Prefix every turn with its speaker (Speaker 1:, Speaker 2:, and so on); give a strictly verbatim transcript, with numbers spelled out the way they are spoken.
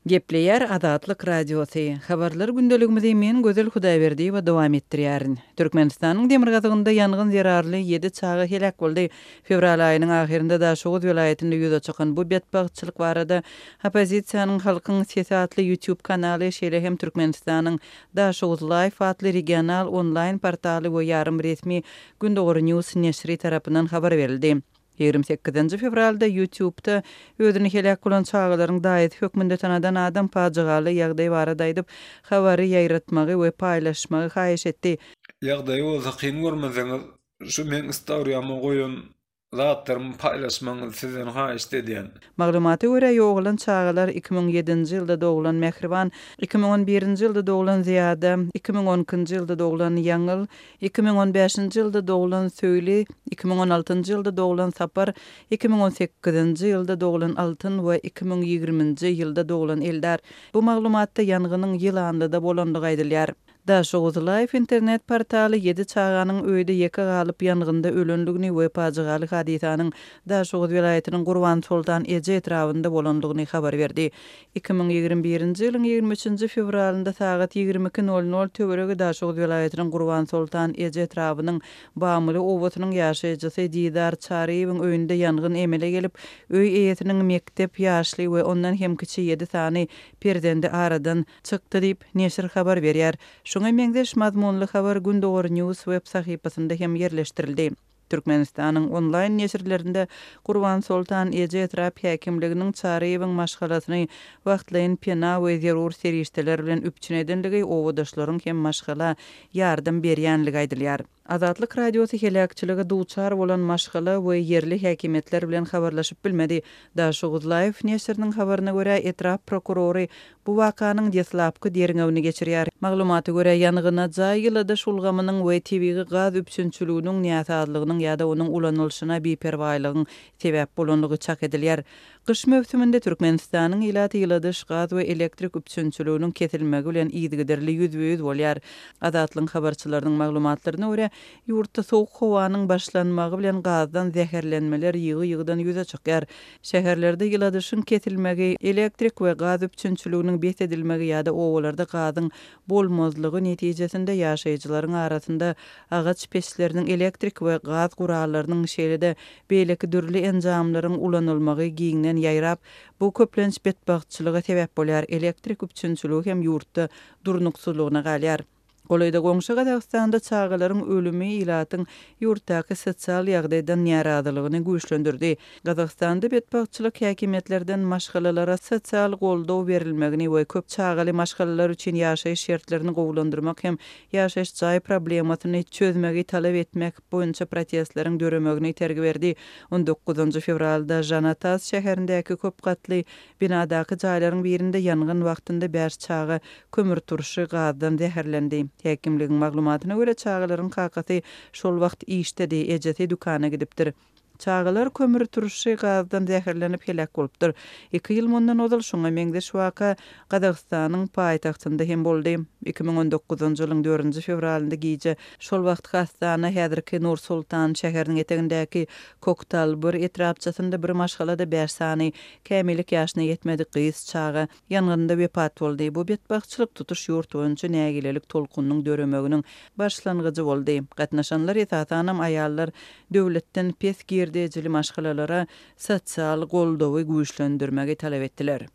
Speaker 1: Gepleýär Azatlyk Radiosy. Habarlar gündeligimizi men Gözel Hudaýberdiýewa dowam etdirýärin. Türkmenistanyň demirgazygynda ýangyn zerarly ýedi çaga heläk boldy. Fewral aýynyň ahyrynda Daşoguz welaýatynda ýüze çykan bu betbagtçylyk barada oppozisiýanyň Halkyň sesi atly YouTube kanaly, şeýle hem Türkmenistanyň Daşoguz Life atly regional onlaýn portaly we ýarym resmi Gündogar News neşiri tarapyndan habar berildi. Ýigrimi sekizinji fewralda YouTube-da özüni heläk bolan çagalaryň daýysy hökmünde tanadan adam pajygaly ýagdaý barada aýdyp, habary ýaýratmagy we paýlaşmagy haýyş etdi.
Speaker 2: Ýagdaýy bolsa kyn görmeseňiz şu meň istoriýama goýan zatlarymy paýlaşmagyňyzy sizden haýyşt edýän.
Speaker 1: Maglumata görä, ýogalan çagalar iki müň ýedinji ýylda doglan Mähriban, iki müň on birinji ýylda doglan Zyýada, iki müň on ikinji ýylda doglan Ýaňyl, iki müň on bäşinji ýylda doglan Söýli, iki müň on altynjy ýylda doglan Sapar, iki müň on sekizinji ýylda doglan Altyn we iki müň ýigriminji ýylda doglan Eldar. Bu maglumatda ýangynyň Ýylanlyda bolandygy aýdylýar. Daşoguz Life internet portaly ýedi çaganyň öýde ýeke galyp ýangynda ölendigini we pajygaly hadysanyň Daşoguz welaýatynyň Gurbansoltan eje etrabynda bolandygyny habar berdi. Iki müň ýigrimi birinji ýylyň ýigrimi üçünji fewralynda sagat ýigrimi iki nol nol töweregi Daşoguz welaýatynyň Gurbansoltan eje etrabynyň Bamyly obasynyň ýaşaýjysy Didar Çaryýewiň öýünde ýangyn emele gelip, öý eýesiniň mekdep ýaşly we ondan hem kiçi ýedi sany perzendi aradan çykdy diýip, neşir habar berýär. Şuňa meňzeş mazmunly habar Gündogar News web sahypasynda hem ýerleşdirildi. Türkmenistanyň onlaýn neşirlerinde Gurbansoltan eje etrap häkimliginiň Çaryýewiň maşgalasyny wagtlaýyn pena we zerur serişdeler bilen üpjün edenligi, obadaşlaryň hem maşgala ýardam berýänligi aýdylýar. Azatlyk Radiosy heläkçilige duçar bolan maşgala we ýerli häkimiýetler bilen habarlaşyp bilmedi. Daşoguz Life neşiriniň habaryna görä, etrap prokurory bu wakanyň deslapky derňewini geçirýär. Maglumata görä, ýangyna jaý ýyladyş ulgamynyň we tebigy gaz üpjünçiliginiň näsazlygynyň ýa-da onuň ulanylyşyna biperwaýlygyň sebäp bolandygy çak edilýär. Gyş möwsüminde Türkmenistanyň ilaty ýyladyş, gaz we elektrik üpjünçiliginiň kesilmegi bilen yzygiderli ýüzbe-ýüz bolýar. Azatlygyň habarçylarynyň maglumatlaryna görä, ýurtda sowuk howanyň başlanmagy bilen gazdan zäherlenmeler ýygy-ýygydan ýüze çykýar. Şäherlerde ýyladyşyň kesilmegi, elektrik we gaz üpjünçiliginiň bes edilmegi ýa-da obalarda gazyň bolmazlygy netijesinde ýaşaýjylaryň arasynda agaç peçleriniň, elektrik we gaz gurallarynyň, şeýle-de beýleki dürli enjamlaryň ulanylmagy giňden ýaýrap, bu köplenç betbagtçylyga sebäp bolýar, elektrik üpjünçiligi hem ýurtda durnuksyzlygyna galýar. Golaýda goňşy Gazagystanda çagalaryň ölümi ilatyň ýurtdaky sosial ýagdaýdan närazylygyny güýçlendirdi. Gazagystanda betbagtçylyk häkimiýetlerden maşgalalara sosial goldaw berilmegini we köp çagaly maşgalalar üçin ýaşaýyş şertlerini gowulandyrmak hem ýaşaýyş jaý problemasyny çözmegi talap etmek boýunça protestleriň döremegine itergi berdi. On dokuzynjy fewralda Žanatas şäherindäki köp gatly binadaky jaýlaryň birinde ýangyn wagtynda bäş çaga kömürturşy gazdan zäherlendi. Häkimligiň maglumatyna görä, çagalaryň kakasy şol wagt işdedi, ejesi dükana gidipdir. Çagalar kömürturşy gazdan zäherlenip heläk bolupdyr. Iki ýyl mundan ozal şuňa meňzeş waka Gazagystanyň paýtagtynda hem boldy. Iki müň on dokuzynjy ýylyň dördünji fewralynda gije şol wagtky Astana, häzirki Nur-Sultan şäheriniň etegindäki Koktalbyr etrapçasynda bir maşgalada bäş sany kämillik ýaşyna ýetmedik gyz çaga ýangynda wepat boldy. Bu betbagtçylyk tutuş ýurt boýunça nägilelik tolkunynyň döremeginiň başlangyjy boldy. Gatnaşanlar, esasanam aýallar, döwletden pes girdejili maşgalalara sosial goldawy güýçlendirmegi talap etdiler.